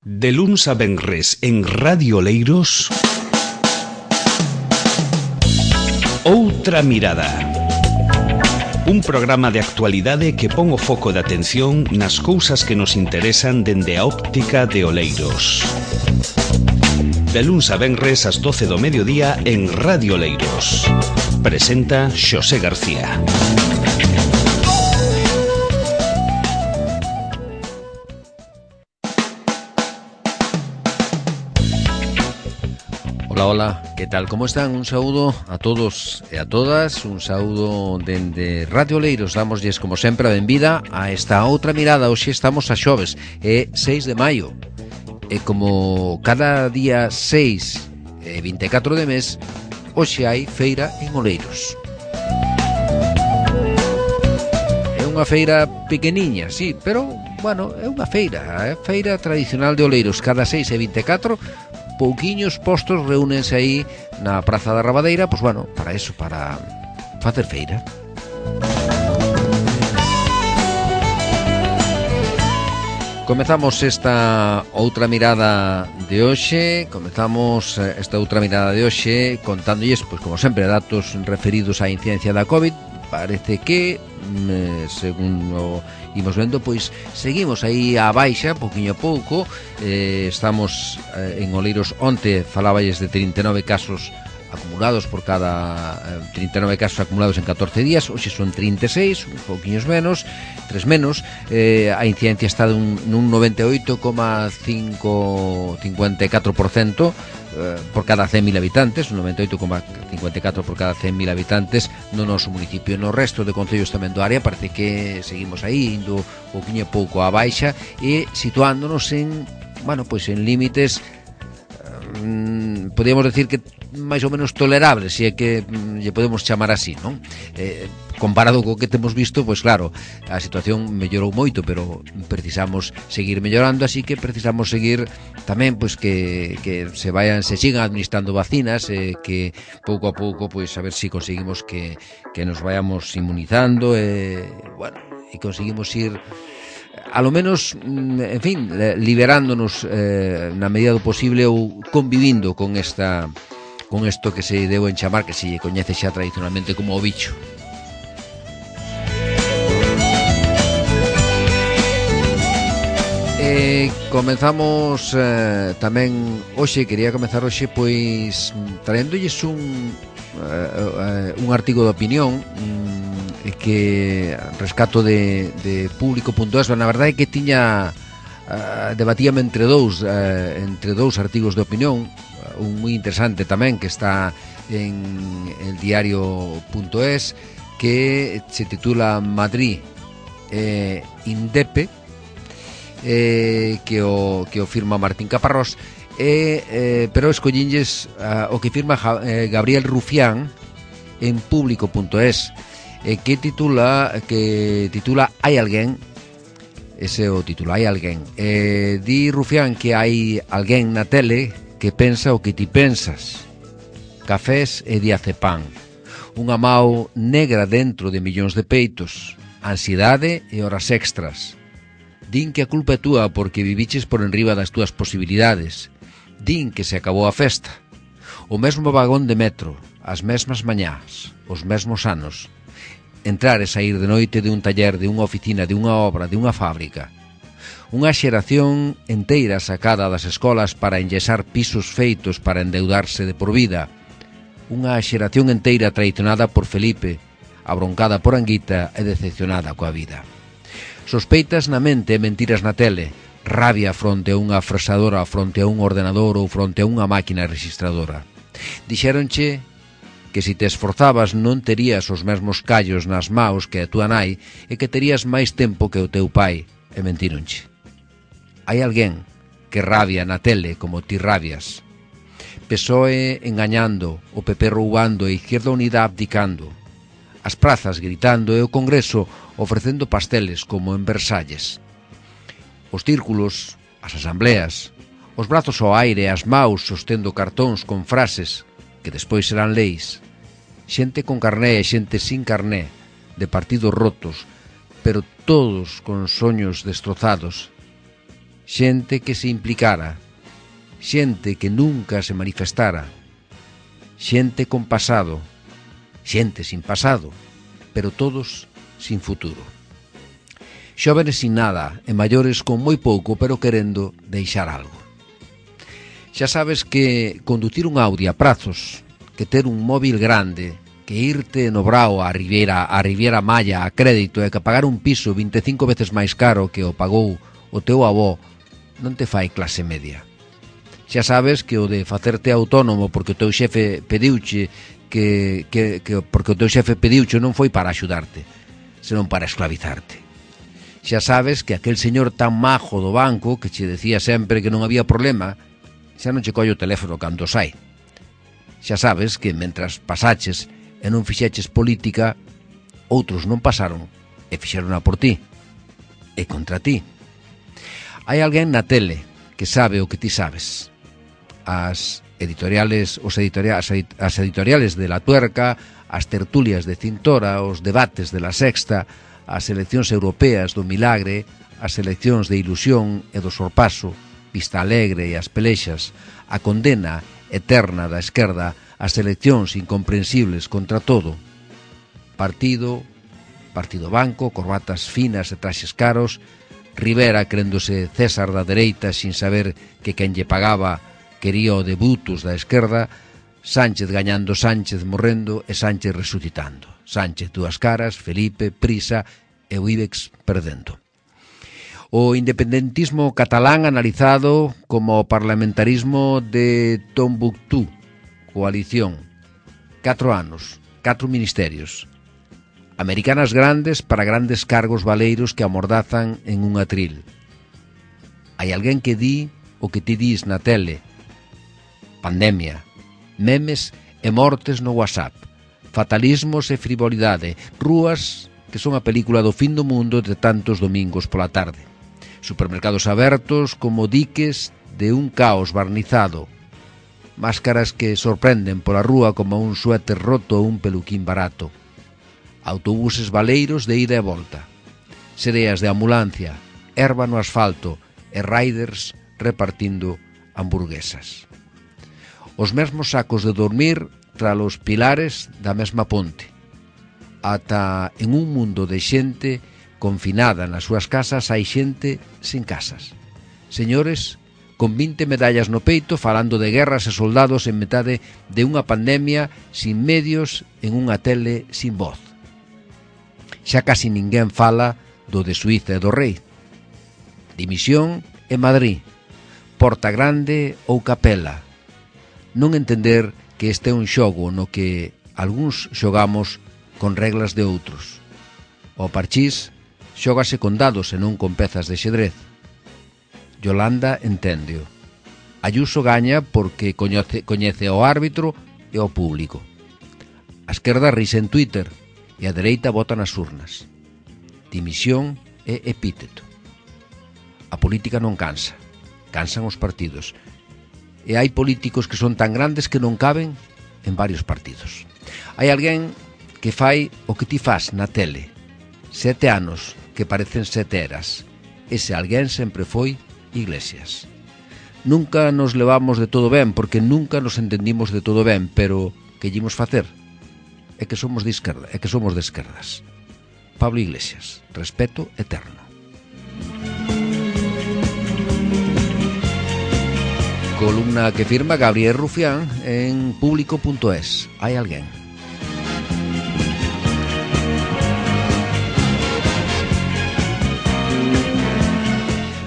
De luns a venres en Radio Oleiros, Outra Mirada. Un programa de actualidade que pon o foco de atención nas cousas que nos interesan dende a óptica de Oleiros. De luns a venres ás 12 do mediodía en Radio Oleiros. Presenta Xosé García. Hola, que tal? Como están? Un saúdo a todos e a todas, un saúdo dende Radio Oleiros. Dámoslles, como sempre, a benvida a esta outra mirada. Hoxe estamos a xoves, é 6 de maio. E como cada día 6 e 24 de mes, hoxe hai feira en Oleiros. É unha feira pequeniña, sí, pero, bueno, é unha feira, é feira tradicional de Oleiros. Cada 6 e 24, pouquiños postos reúnense aí na Praza da Rabadeira, pois bueno, para eso, para facer feira. Comezamos esta outra mirada de hoxe, contándolles, pois como sempre, datos referidos á incidencia da COVID. Parece que, según o imos vendo, pois seguimos aí á baixa, pouquiño a pouco. Estamos en Oleiros, onte faláballes de 39 casos acumulados por cada 39 casos acumulados en 14 días. Hoxe son 36, uns pouquiños menos, 3 menos. A incidencia está nun 98,54% por cada 100.000 habitantes, un 98,54 por cada 100.000 habitantes no noso municipio. No resto de concellos tamén do área parece que seguimos aí indo pouquiño a pouco á baixa e situándonos en, bueno, pois en límites podríamos decir que máis ou menos tolerables, se é que lle podemos chamar así, non? Comparado co que temos visto, pois claro, a situación mellorou moito, pero precisamos seguir mellorando, así que precisamos seguir tamén, pois que se sigan administrando vacinas, que pouco a pouco, pois a ver se conseguimos que nos vayamos inmunizando, bueno, e conseguimos ir a lo menos, en fin, liberándonos na medida do posible ou convivindo con isto que se deu en chamar, que se coñece xa tradicionalmente como o bicho. Comenzamos tamén hoxe, quería comenzar hoxe pois traéndolles un artigo de opinión que rescato de público.es. Na verdade é que tiña debatíame entre dous artigos de opinión, un moi interesante tamén que está en el diario.es, que se titula Madrid Indepe, que o firma Martín Caparrós, pero escollínlles o que firma Gabriel Rufián en público.es, que titula Hai alguén. Ese é o título, Hai alguén. Di Rufián que hai alguén na tele que pensa o que ti pensas. Cafés e diazepam. Unha mau negra dentro de millóns de peitos. Ansiedade e horas extras. Din que a culpa é túa porque viviches por enriba das túas posibilidades. Din que se acabou a festa. O mesmo vagón de metro, as mesmas mañás, os mesmos anos. Entrar e sair de noite de un taller, de unha oficina, de unha obra, de unha fábrica. Unha xeración enteira sacada das escolas para enyesar pisos feitos para endeudarse de por vida. Unha xeración enteira traicionada por Felipe, abroncada por Anguita e decepcionada coa vida. Sospeitas na mente e mentiras na tele, rabia fronte a unha fresadora, fronte a un ordenador ou fronte a unha máquina registradora. Dixéronche que se te esforzabas non terías os mesmos callos nas maos que a túa nai e que terías máis tempo que o teu pai, e mentíronche. Hai alguén que rabia na tele como ti rabias. PSOE engañando, o PP roubando e Izquierda Unida abdicando. As prazas gritando e o Congreso ofrecendo pasteles como en Versalles. Os círculos, as asambleas, os brazos ao aire e as maus sostendo cartóns con frases que despois serán leis. Xente con carné e xente sin carné, de partidos rotos, pero todos con soños destrozados. xente que se implicara, xente que nunca se manifestara, xente con pasado, xente sin pasado, pero todos sin futuro. Xóvenes sin nada e maiores con moi pouco, pero querendo deixar algo. Xa sabes que conducir un Audi a prazos, que ter un móvil grande, que irte no Brao a Riviera Maya a crédito e que pagar un piso 25 veces máis caro que o pagou o teu avó non te fai clase media. Xa sabes que o de facerte autónomo porque o teu xefe pediuche porque o teu xefe pediuche non foi para axudarte, senón para esclavizarte. Xa sabes que aquel señor tan majo do banco que che decía sempre que non había problema, xa non che colle o teléfono cando sai. Xa sabes que mentras pasaches e non fixeches política, outros non pasaron e fixerona por ti e contra ti. Hai alguén na tele que sabe o que ti sabes. As editoriales de La Tuerca, as tertulias de Cintora, os debates de La Sexta, as eleccións europeas do Milagre, as eleccións de Ilusión e do Sorpaso, Vista Alegre e as pelexas, a condena eterna da esquerda, as eleccións incomprensibles contra todo. Partido banco, corbatas finas e traxes caros, Rivera crendose César da dereita sin saber que quen lle pagaba quería o de Brutus da esquerda, Sánchez gañando, Sánchez morrendo e Sánchez resucitando. Sánchez dúas caras, Felipe, Prisa e o IBEX perdendo. O independentismo catalán analizado como o parlamentarismo de Tombuctú, coalición, 4 anos, 4 ministerios. Americanas grandes para grandes cargos valeiros que amordazan en un atril. Hai alguén que di o que ti dis na tele. Pandemia, memes e mortes no WhatsApp, fatalismos e frivolidade, rúas que son a película do fin do mundo de tantos domingos pola tarde, supermercados abertos como diques de un caos barnizado, máscaras que sorprenden pola rúa como un suéter roto ou un peluquín barato, autobuses valeiros de ida e volta, sereas de ambulancia, erva no asfalto e riders repartindo hamburguesas. Os mesmos sacos de dormir tras os pilares da mesma ponte. Ata en un mundo de xente confinada nas súas casas hai xente sen casas. Señores con 20 medallas no peito falando de guerras e soldados en metade de unha pandemia sin medios en unha tele sin voz. Xa casi ninguén fala do de Suíza e do Rei. Dimisión en Madrid, Porta Grande ou Capela. Non entender que este é un xogo no que algúns xogamos con reglas de outros. O parchís xógase con dados e non con pezas de xedrez. Yolanda enténdeo. Ayuso gaña porque coñece ao árbitro e ao público. A esquerda rise en Twitter e a dereita vota nas urnas. Dimisión e epíteto. A política non cansa, cansan os partidos. E hai políticos que son tan grandes que non caben en varios partidos. Hai alguén que fai o que ti fas na tele. 7 anos que parecen 7 eras. Ese alguén sempre foi Iglesias. Nunca nos levamos de todo ben porque nunca nos entendimos de todo ben, pero que llemos facer? É que somos de esquerdas. Pablo Iglesias, respeto eterno. Columna que firma Gabriel Rufián en público.es. Hai alguén.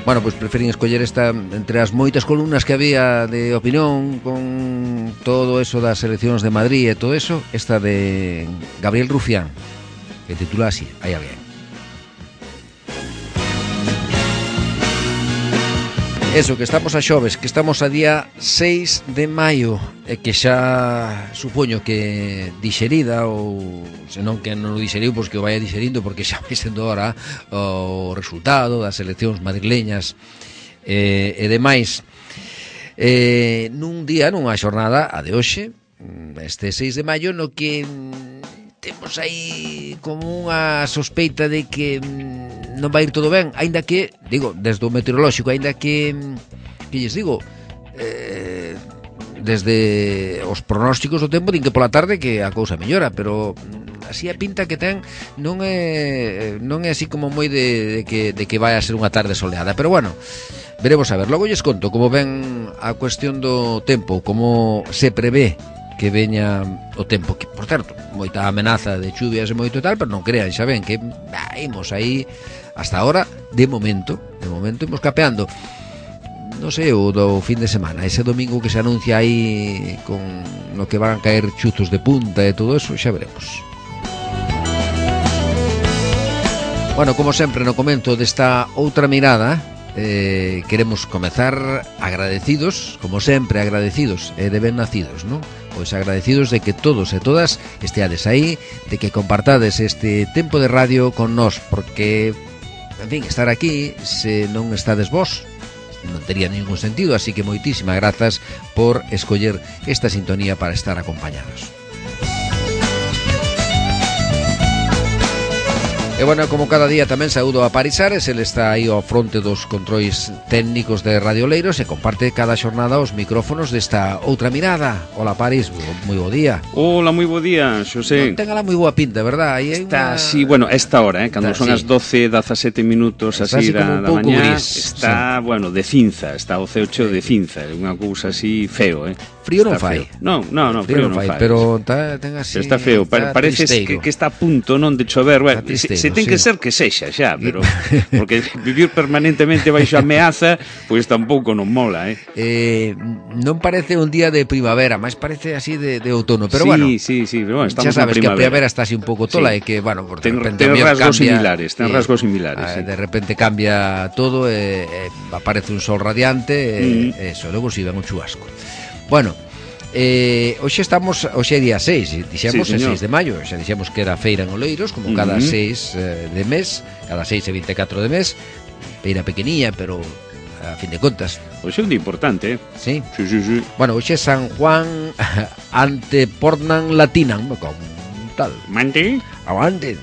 Bueno, pois preferín escoller esta entre as moitas columnas que había de opinión con todo eso das eleccións de Madrid e todo eso, esta de Gabriel Rufián, que titula así, Hai alguén. Eso, que estamos a xoves, que estamos a día 6 de maio e que xa supoño que dixerida ou senón que non o dixeriu, pois que o vaya dixerindo porque xa vai sendo hora o resultado das eleccións madrileñas e demais. Nun día, nunha xornada, a de hoxe, este 6 de maio, no que temos aí como unha sospeita de que non vai ir todo ben, aínda que, digo, desde o meteorolóxico, aínda que lles digo, desde os pronósticos do tempo din que pola tarde que a cousa mellora, pero así a pinta que ten non é así como moi de que vai a ser unha tarde soleada, pero bueno, veremos a ver. Logo lles conto como ven a cuestión do tempo, como se prevé que veña o tempo, que por certo, moita amenaza de chuvias e moito tal, pero non crean, xa ven que imos aí hasta ahora, de momento imos capeando. Non sei, o do fin de semana, ese domingo que se anuncia aí con no que van a caer chuzos de punta e todo eso, xa veremos. Bueno, como sempre no comento desta outra mirada, queremos comezar agradecidos, como sempre agradecidos e de ben nacidos, non? Pois agradecidos de que todos e todas esteades aí, de que compartades este tempo de radio con nós, porque, en fin, estar aquí, se non estades vós, non tería ningún sentido, así que moitísimas grazas por escoller esta sintonía para estar acompañados. E bueno, como cada día tamén saúdo a Paris Ares, ele está aí ao fronte dos controis técnicos de Radio Oleiros e comparte cada xornada os micrófonos desta outra mirada. Hola Paris, moi bo día. Hola, moi bo día, Xosé. Non ten ala moi boa pinta, verdad? Aí está, sí, bueno, esta hora, cando son as 12:17 minutos así da mañá, está, bueno, de cinza, está o ceo cheo de cinza, é unha cousa así feo, Frío non fai. Non, frío non fai. Pero ten así... Está feo, parece que está a punto non de chover. Bueno, se ten que ser que sexa xa, pero porque vivir permanentemente baixo ameaza, pois tampouco non mola, non parece un día de primavera, máis parece así de outono, pero sí, bueno. Sí, pero bueno, estamos xa sabes na primavera. Que a primavera está así un pouco tola, e que, bueno, por ten rasgos similares, De repente cambia todo, aparece un sol radiante, eso, logo si ven un chubasco. Bueno, hoxe é día 6, dixemos, sí, 6 de maio, xa dixemos que era feira en Oleiros, como cada 6 de mes, cada 6 e 24 de mes, feira pequeniña, pero a fin de contas. Hoxe é un día importante, Sí? Sí. Bueno, hoxe é San Juan Antepornan Latinam, como tal. Mante? Avante.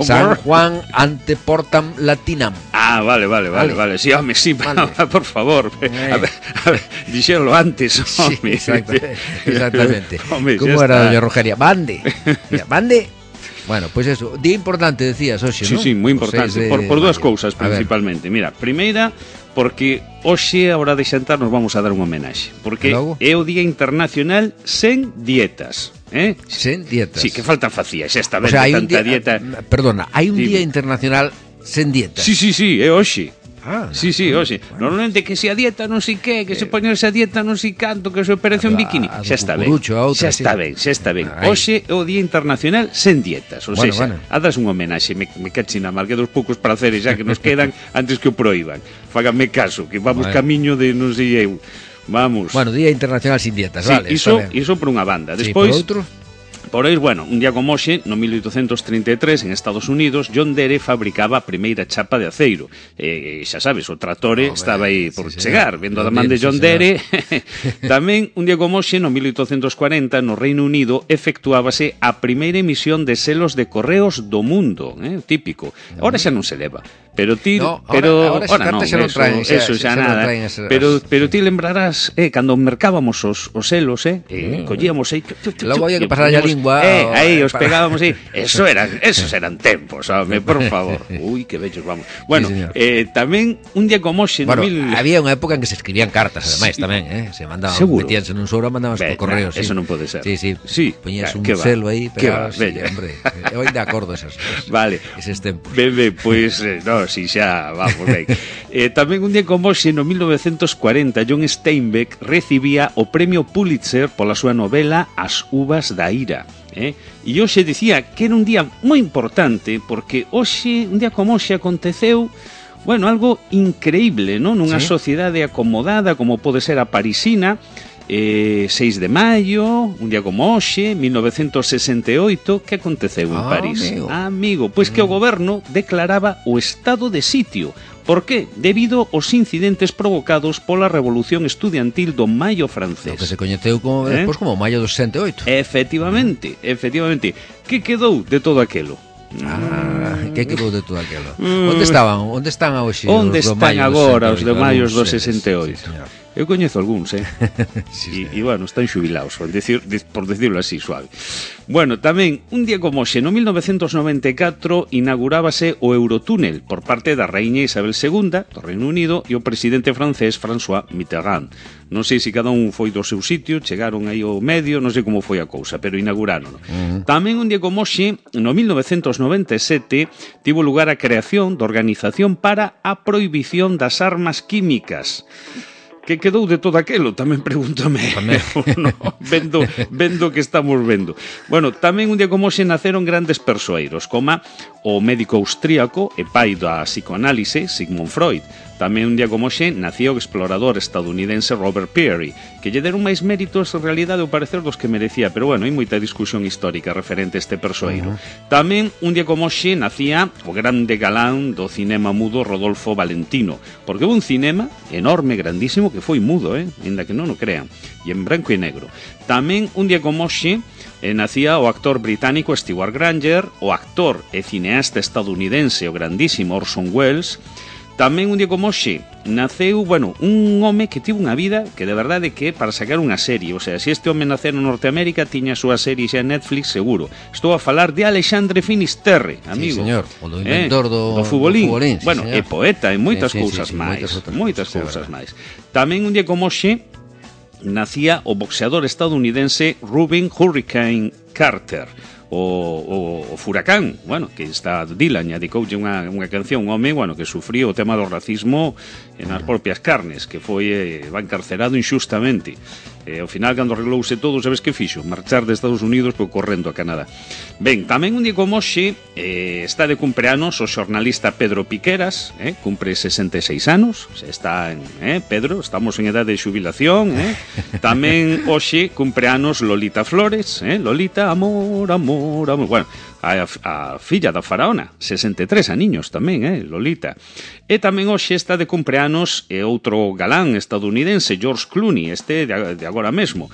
San Juan Anteportam Latinam. Ah, vale. Sí, home, sí, vale. Por favor. A ver, dixéronlo antes, home. Sí, exactamente. Home, como era doña Rogeria? Bande. Bueno, pois eso, día importante, decías, hoxe, non? Sí, moi importante, por dúas cousas principalmente. Mira, primeira, porque hoxe, a hora de xantar, nos vamos a dar un homenaxe. Porque é o Día Internacional sen dietas. Sen dietas. Sí, que falta facía, xa está ben, tanta dieta. Perdona, hai un Día Internacional sen dietas. Sí, é hoxe. Sí, hoxe. Bueno. Normalmente que se a dieta non sei que se poñerse a dieta non sei canto, que se operación bikini, xa está ben. Xa está ben. Hoxe é o Día Internacional sen dietas, ou seja, hadas un homenaxe, me cachina mal, que dos poucos praceres xa que nos quedan antes que o proíban. Fáganme caso, que vamos camiño de non sei eu. Vamos. Bueno, Día Internacional sin dietas, sí, vale. Iso por unha banda. Despois, por outro? Por aí, bueno, un día como hoxe, no 1833, en Estados Unidos, John Deere fabricaba a primeira chapa de aceiro. Xa sabes, o tractore estaba aí por chegar, vendo a man de John Deere. Tamén, un día como hoxe, no 1840, no Reino Unido, efectuábase a primeira emisión de selos de correos do mundo, típico. Ahora xa non se leva. Pero ti, ahora xa non traen, eso xa nada. Pero ti lembrarás, cando mercábamos os selos, collíamos aí, logo había que pasar a lingua, aí os pegábamos aí. Esos eran tempos, home, por favor. Uy, que bellos vamos. Bueno, tamén un día como hoxe, había unha época en que se escribían cartas, ademais, tamén, se mandaban, metíanse nun sobre, mandaban por correo, eso non pode ser. Sí, poñías un selo aí, pegabas, hombre, eu ainda acordo esos tempos. Bebe, pois, no, si xa, vamos, ben. Tamén un día como hoxe, no 1940, John Steinbeck recibía o premio Pulitzer pola súa novela As uvas da ira. E hoxe dicía que era un día moi importante porque hoxe, un día como hoxe, aconteceu, bueno, algo increíble, non? Nunha sociedade acomodada como pode ser a parisina, 6 de maio, un día como hoxe, 1968, que aconteceu en París? Amigo, pois que o goberno declaraba o estado de sitio. Por qué? Debido aos incidentes provocados pola revolución estudiantil do maio francés. O que se coñeceu como, despois como maio do 68. Efectivamente. Que quedou de todo aquelo? Que quedou de todo aquilo? Onde están hoxe? Onde están agora os de maio do 68? Sí, eu coñezo algúns, sí, e bueno, están xubilados, por decirlo así, suave. Bueno, tamén, un día como hoxe, no 1994, inaugurábase o Eurotúnel por parte da Raíña Isabel II do Reino Unido e o presidente francés François Mitterrand. Non sei se cada un foi do seu sitio, chegaron aí ao medio, non sei como foi a cousa, pero inauguraron. Tamén un día como hoxe, no 1997, tivo lugar a creación da Organización para a Prohibición das Armas Químicas. Que quedou de todo aquelo? Tamén pregúntame. No, vendo que estamos vendo. Bueno, tamén un día como hoxe naceron grandes persoeiros, como o médico austríaco e pai da psicoanálise Sigmund Freud. Tamén un día como hoxe nacía o explorador estadounidense Robert Peary, que lle deron máis méritos en realidade ao parecer dos que merecía, pero bueno, hai moita discusión histórica referente a este persoeiro. Tamén un día como hoxe nacía o grande galán do cinema mudo Rodolfo Valentino, porque houve un cinema enorme, grandísimo, que foi mudo, ainda que non o crean, e en branco e negro. Tamén un día como hoxe nacía o actor británico Stewart Granger, o actor e cineasta estadounidense o grandísimo Orson Welles. Tamén un día como hoxe naceu, bueno, un home que tivo unha vida que de verdade que para sacar unha serie, o sea, se este home naceu en Norteamérica tiña a súa serie xa en Netflix seguro. Estou a falar de Alexandre Finisterre, amigo. Sí, señor, o do inventor do futbolín. Sí, bueno, señor. É poeta e moitas cousas máis. Moitas cousas máis. Tamén un día como hoxe nacía o boxeador estadounidense Rubin Hurricane Carter. O Furacán, bueno, que está Dylan adicoulle unha canción, un home, bueno, que sufriu o tema do racismo nas propias carnes, que foi encarcerado inxustamente. Ao final, cando arreglouse todo, sabes que fixo? Marchar de Estados Unidos por correndo a Canadá. Ben, tamén un día como hoxe está de cumpleanos o xornalista Pedro Piqueras, cumpre 66 anos, está en, Pedro, estamos en edade de xubilación, Tamén hoxe cumpleanos Lolita Flores, Lolita, amor, bueno, a filla da faraona, 63 aniños tamén, Lolita. E tamén hoxe está de cumpleanos outro galán estadounidense, George Clooney, este de agora mesmo.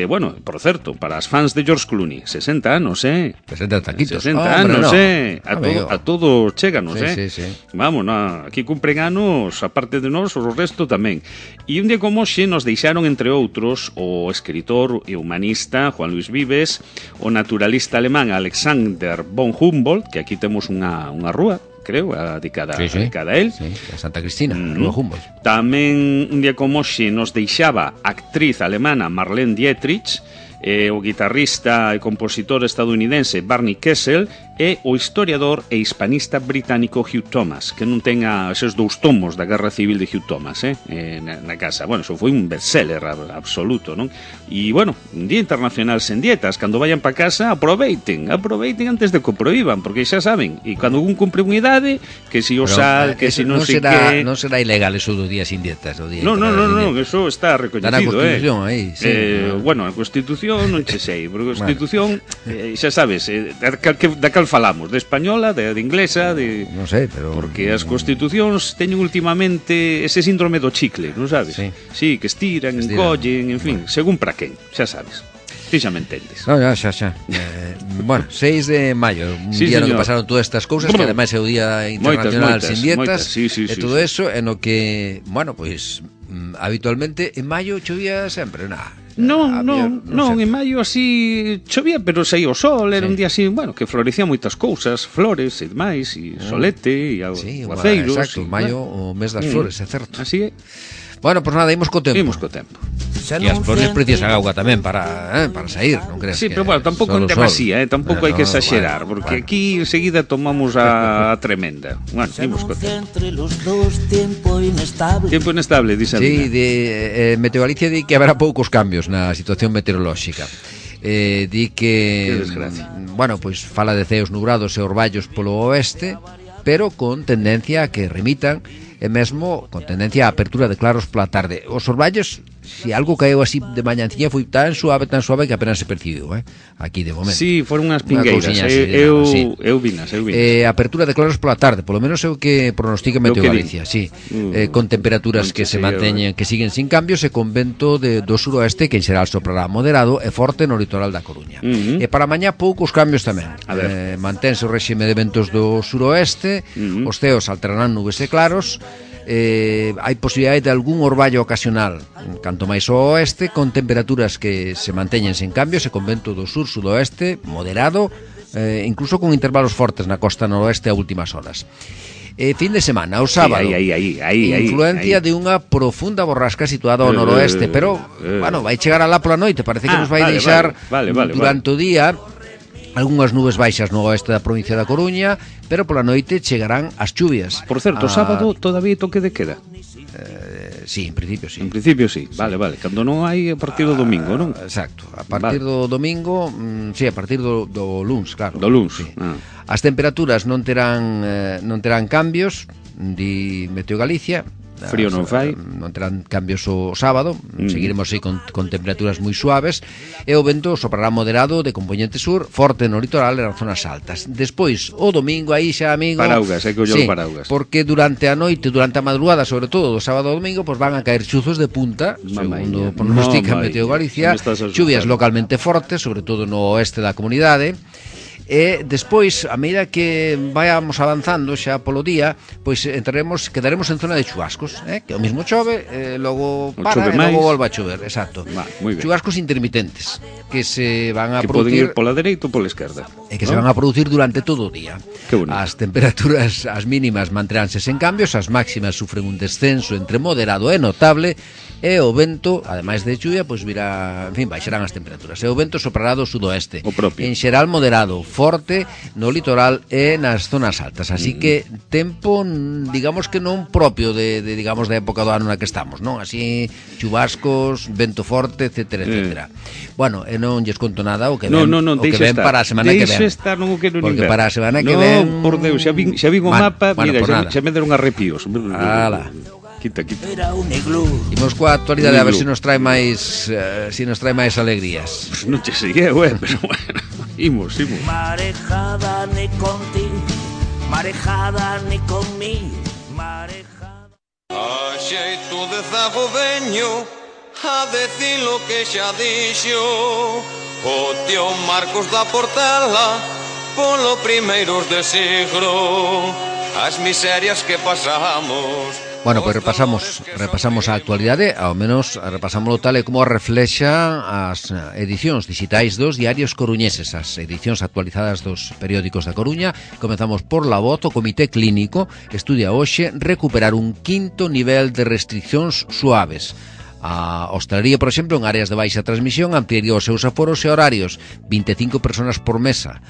Bueno, por certo, para as fans de George Clooney, 60 anos, 60 taquitos. 60 anos, a todos chéganos, sí. Vamos, aquí cumpren anos, aparte de nós, o resto tamén. E un día como hoxe nos deixaron, entre outros, o escritor e humanista Juan Luis Vives, o naturalista alemán Alexander von Humboldt, que aquí temos unha rúa, creo, dedicada a él. Sí, a Santa Cristina, Rúa Humboldt. Tamén un día como hoxe nos deixaba a actriz alemana Marlene Dietrich, o guitarrista e compositor estadounidense Barney Kessel e o historiador e hispanista británico Hugh Thomas, que non ten esos dous tomos da Guerra Civil de Hugh Thomas na casa. Bueno, eso foi un bestseller absoluto, non? E, bueno, un día internacional sen dietas. Cando vayan pa casa, aproveiten antes de que o proíban, porque xa saben, e cando un cumpre unha idade, que si o sal, que si non sei que... Non será ilegal eso do día sin dietas, o día non, eso está recoñecido, na Constitución, aí, sí. Bueno, a Constitución non che sei, porque a Constitución, xa sabes, da cal falamos, de española, de inglesa, de... Non sei, pero... Porque as constitucións teñen últimamente ese síndrome do chicle, non sabes? Sí, que estiran, encollen, en fin, según para quen, xa sabes. Ti xa me entendes. No, xa. Bueno, 6 de maio, un día no que pasaron todas estas cousas, que ademais é o Día Internacional sin dietas, e todo eso, en o que, bueno, pois, habitualmente, en maio chovía sempre, Non, en maio así chovía, pero saía o sol, era un día así, bueno, que florecían moitas cousas, flores e demais, e solete, e aguaceiros. Exacto, maio, o mes das flores, é certo. Así é. Bueno, pois nada, imos co tempo. E as flores precisan auga tamén para sair, non crees? Sí, pero bueno, tampouco en demasía, tampouco hai que exagerar, porque aquí enseguida tomamos a tremenda. Bueno, imos co tempo. Tempo inestable, dice a Sí, Meteo Galicia di que haberá poucos cambios na situación meteorolóxica. Di que, bueno, pois fala de ceos nubrados e orballos polo oeste, pero con tendencia a que remitan, e mesmo con tendencia a apertura de claros pola tarde. Os orballos si algo caeu así de mañanciña foi tan suave que apenas se percibiu, aquí de momento. Sí, foron unhas pingueiras, eu vinas. Apertura de claros pola tarde, polo menos é o que pronostica Meteo Galicia, sí. Con temperaturas que se manteñen, que siguen sin cambios, e con vento do suroeste que en xeral soprará moderado e forte no litoral da Coruña. E para mañá poucos cambios tamén. Mantense o réxime de ventos do suroeste, os ceos alterarán nubes e claros, hai posibilidade de algún orballo ocasional canto máis ao oeste, con temperaturas que se manteñen sen cambios e con vento do sur-sudoeste moderado, incluso con intervalos fortes na costa noroeste a últimas horas. Fin de semana, o sábado, influencia de unha profunda borrasca situada ao noroeste, pero, bueno, vai chegar alá pola noite, parece que nos vai deixar durante o día algunhas nubes baixas no oeste da provincia da Coruña, pero pola noite chegarán as chuvias. Por certo, o sábado todavía toque de queda? Sí, en principio sí. En principio sí, vale. Cando non hai a partir do domingo, non? Exacto, a partir do domingo, sí, a partir do luns, claro. Do luns, sí. As temperaturas non terán cambios, di Meteo Galicia. Frío non fai. Non terán cambios o sábado, seguiremos aí con temperaturas moi suaves, e o vento soprará moderado de componente sur, forte no litoral e nas zonas altas. Despois, o domingo, aí xa, amigo, paraugas, hai que ollar paraugas. Porque durante a noite, durante a madrugada, sobre todo do sábado ao domingo, pues van a caer chuzos de punta, segundo pronostica Meteo Galicia, chuvias localmente fortes, sobre todo no oeste da comunidade. E despois, a medida que vayamos avanzando xa polo día, pois quedaremos en zona de chubascos, que o mismo chove, logo para e logo volva a chover, exacto. Chubascos intermitentes que se van a producir, poden ir pola dereita ou pola esquerda, e que se van a producir durante todo o día. As temperaturas, as mínimas manteránse sen cambios, as máximas sufren un descenso entre moderado e notable, e o vento, ademais de chuvia, pois virá, en fin, baixarán as temperaturas. E o vento soprará do sudoeste, en xeral moderado, forte no litoral e nas zonas altas. Así que tempo, digamos que non propio digamos da época do ano na que estamos, non? Así chubascos, vento forte, etcétera, etcétera. Bueno, e non lles conto nada o que ven, o que ven para a semana que ven. Deixa estar, non o quero nin ver. Porque para a semana que ven... Non, por Deus, xa vin o mapa, mira, xa me deron arrepios. Ala. Quita. Imos coa actualidade a ver se nos trae máis alegrías. Pues non che sigue, pero bueno, imos. Marejada ni contigo, marejada ni conmigo, marejada. A xeito de zago veño a decir lo que xa dixo o tío Marcos da Portela polo primeiros de siglo, as miserias que pasamos. Bueno, pois repasamos a actualidade, ao menos repasámoslo tal e como reflexa as edicións digitais dos diarios coruñeses, as edicións actualizadas dos periódicos da Coruña. Comezamos por La Voz. O Comité Clínico estudia hoxe recuperar un quinto nivel de restriccións suaves. A hostalería, por exemplo, en áreas de baixa transmisión ampliaría os seus aforos e horarios, 25 personas por mesa.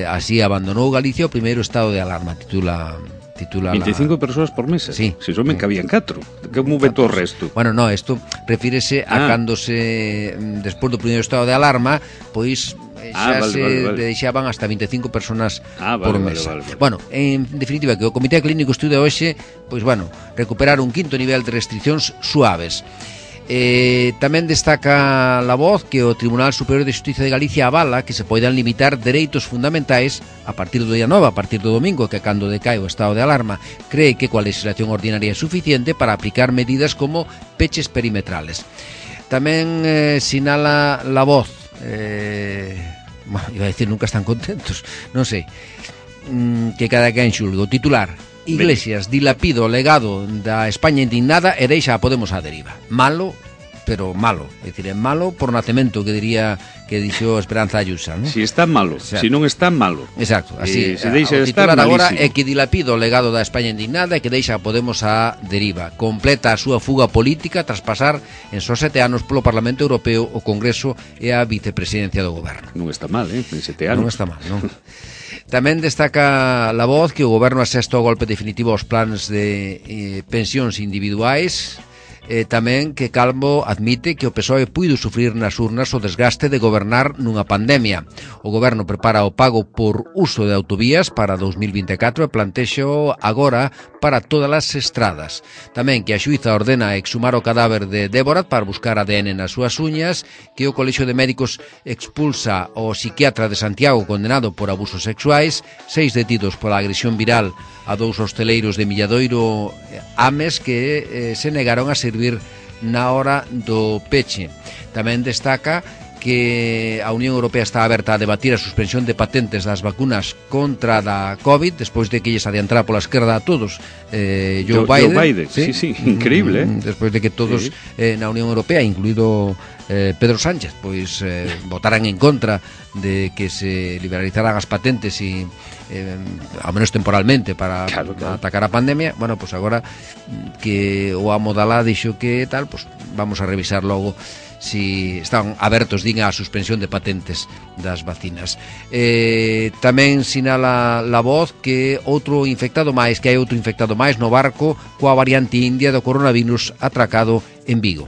Así abandonou Galicia o primeiro estado de alarma, titula 25 persoas por mesa. Sí. Se somen cabían 4. Como veto o resto? Bueno, no, isto refírese a cando despois do primeiro estado de alarma, pois xa se deixaban hasta 25 personas por mesa. Bueno, en definitiva, que o Comité Clínico estuda hoxe, pois bueno, recuperar un quinto nivel de restriccións suaves. Tamén destaca La Voz que o Tribunal Superior de Xustiza de Galicia avala que se poidan limitar dereitos fundamentais a partir do día 9, a partir do domingo, que cando decae o estado de alarma. Cree que coa legislación ordinaria é suficiente para aplicar medidas como peches perimetrales. Tamén sinala La Voz, iba a decir nunca están contentos, non sei, que cada quen xulgue. O titular: Iglesias dilapida o legado da España indignada e deixa a Podemos á deriva. Malo, pero malo. É dicir, é malo por nacemento, que dixo Esperanza Ayusa, ¿no? Si está malo, si non está malo. Exacto, así. Se deixa o estar, titular agora malísimo. É que dilapida o legado da España indignada e que deixa a Podemos á deriva. Completa a súa fuga política tras pasar en só 7 anos polo Parlamento Europeo, o Congreso e a vicepresidencia do Goberno. Non está mal, en 7 anos. Non está mal, non? Tamén destaca La Voz que o Goberno asesta ao golpe definitivo aos plans de pensións individuais, Tamén que Calvo admite que o PSOE puido sufrir nas urnas o desgaste de gobernar nunha pandemia. O goberno prepara o pago por uso de autovías para 2024 e plantexo agora para todas as estradas. Tamén que a xuíza ordena exhumar o cadáver de Débora para buscar ADN nas súas uñas, que o Colexio de Médicos expulsa o psiquiatra de Santiago condenado por abusos sexuais, 6 detidos pola agresión viral a 2 hosteleiros de Milladoiro Ames que se negaron a servir na hora do peche. Tamén destaca que a Unión Europea está aberta a debatir a suspensión de patentes das vacunas contra da COVID despois de que lles adiantara pola esquerda a todos Joe Biden. Sí, increíble, despois de que todos na Unión Europea, incluído Pedro Sánchez, pois votaran en contra de que se liberalizaran as patentes e ao menos temporalmente para atacar a pandemia. Bueno, pois agora que o amo Dalá dixo que tal, pois vamos a revisar logo si están abertos, din, a suspensión de patentes das vacinas. Tamén sinala La Voz que hai outro infectado máis no barco coa variante india do coronavirus atracado en Vigo.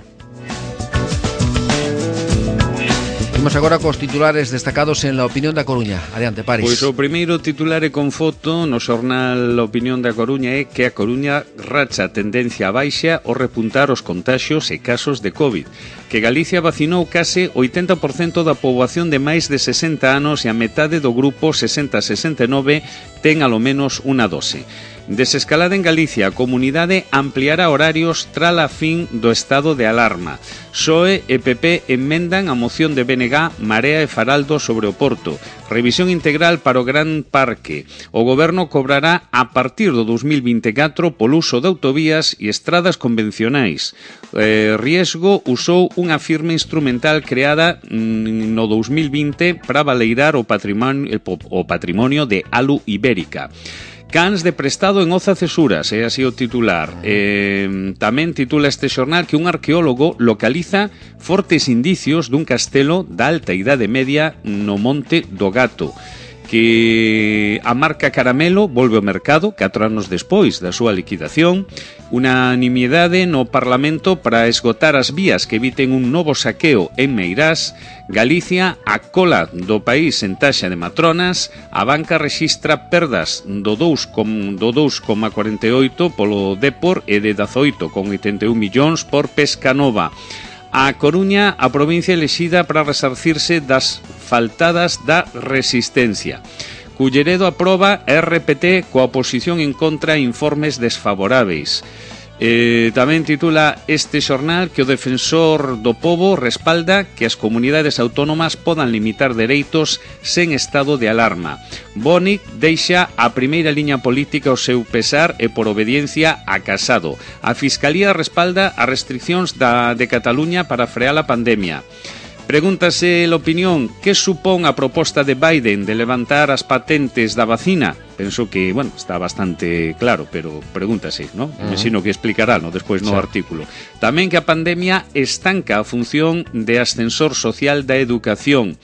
Imos agora cos titulares destacados en La Opinión da Coruña. Adiante, Paris. Pois o primeiro titular é con foto no xornal La Opinión da Coruña é que a Coruña racha a tendencia a baixa ao repuntar os contaxios e casos de COVID, que Galicia vacinou case 80% da poboación de máis de 60 anos e a metade do grupo 60-69 ten alo menos unha dose. Desescalada en Galicia, a comunidade ampliará horarios tras a fin do estado de alarma. PSOE e PP enmendan a moción de BNG, Marea e Faraldo sobre o Porto. Revisión integral para o Gran Parque. O goberno cobrará a partir do 2024 polo uso de autovías e estradas convencionais. Riesgo usou unha firma instrumental creada no 2020 para valeirar o patrimonio de Alu Ibérica. Cans de prestado en Oza Cesuras, é así o titular. Tamén titula este xornal que un arqueólogo localiza fortes indicios dun castelo da alta idade media no Monte do Gato, que a marca Caramelo volve ao mercado 4 anos despois da súa liquidación. Unanimidade no Parlamento para esgotar as vías que eviten un novo saqueo en Meirás. Galicia a cola do país en taxa de matronas. A banca rexistra perdas do 2,48 polo Depor e de 18,81 millóns por Pescanova. A Coruña, a provincia elexida para resarcirse das faltadas da Resistencia. Culleredo aproba RPT coa oposición en contra a informes desfavoráveis. Tamén titula este xornal que o defensor do pobo respalda que as comunidades autónomas podan limitar dereitos sen estado de alarma. Bonic deixa a primeira liña política ao seu pesar e por obediencia a Casado. A Fiscalía respalda as restriccións de Cataluña para frear a pandemia. Pregúntase a opinión que supón a proposta de Biden de levantar as patentes da vacina. Penso que, bueno, está bastante claro, pero pregúntase, ¿no? Imagino que explicará, ¿no? Despois no artículo. Tamén que a pandemia estanca a función de ascensor social da educación.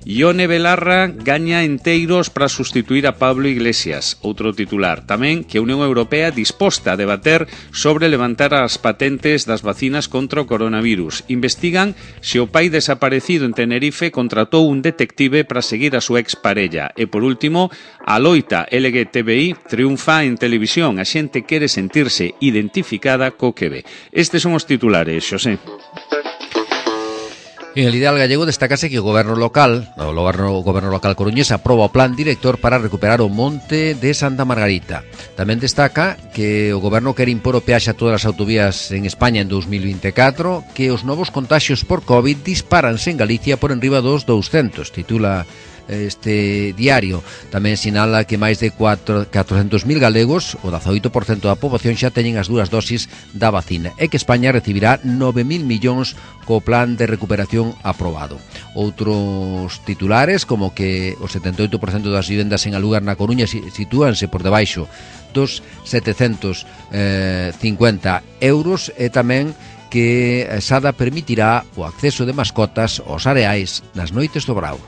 Ione Belarra gaña enteiros para sustituir a Pablo Iglesias. Outro titular. Tamén que a Unión Europea disposta a debater sobre levantar as patentes das vacinas contra o coronavirus. Investigan se o pai desaparecido en Tenerife contratou un detective para seguir a súa exparella. E por último, a loita LGTBI triunfa en televisión. A xente quere sentirse identificada co que ve. Estes son os titulares, Xosé. En el ideal gallego destacase que o goberno local coruñés aproba o plan director para recuperar o monte de Santa Margarita. Tamén destaca que o goberno quere impor o peaxe a todas as autovías en España en 2024, que os novos contaxios por COVID dispáranse en Galicia por enriba dos 200, titula este diario. Tamén sinala que máis de 400.000 galegos, o 18% da poboación, xa teñen as dúas dosis da vacina e que España recibirá 9.000 millóns co plan de recuperación aprobado. Outros titulares, como que o 78% das vivendas en alugar na Coruña sitúanse por debaixo dos 750 euros, e tamén que Sada permitirá o acceso de mascotas aos areais nas noites do Brao.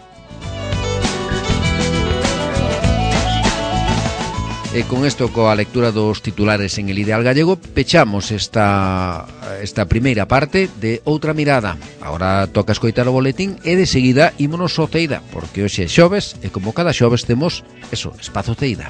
E con isto, coa lectura dos titulares en El Ideal Gallego, pechamos esta primeira parte de Outra Mirada. Agora toca escoitar o boletín e de seguida ímonos ao Ceida, porque hoxe é xoves e como cada xoves temos eso, espazo Ceida.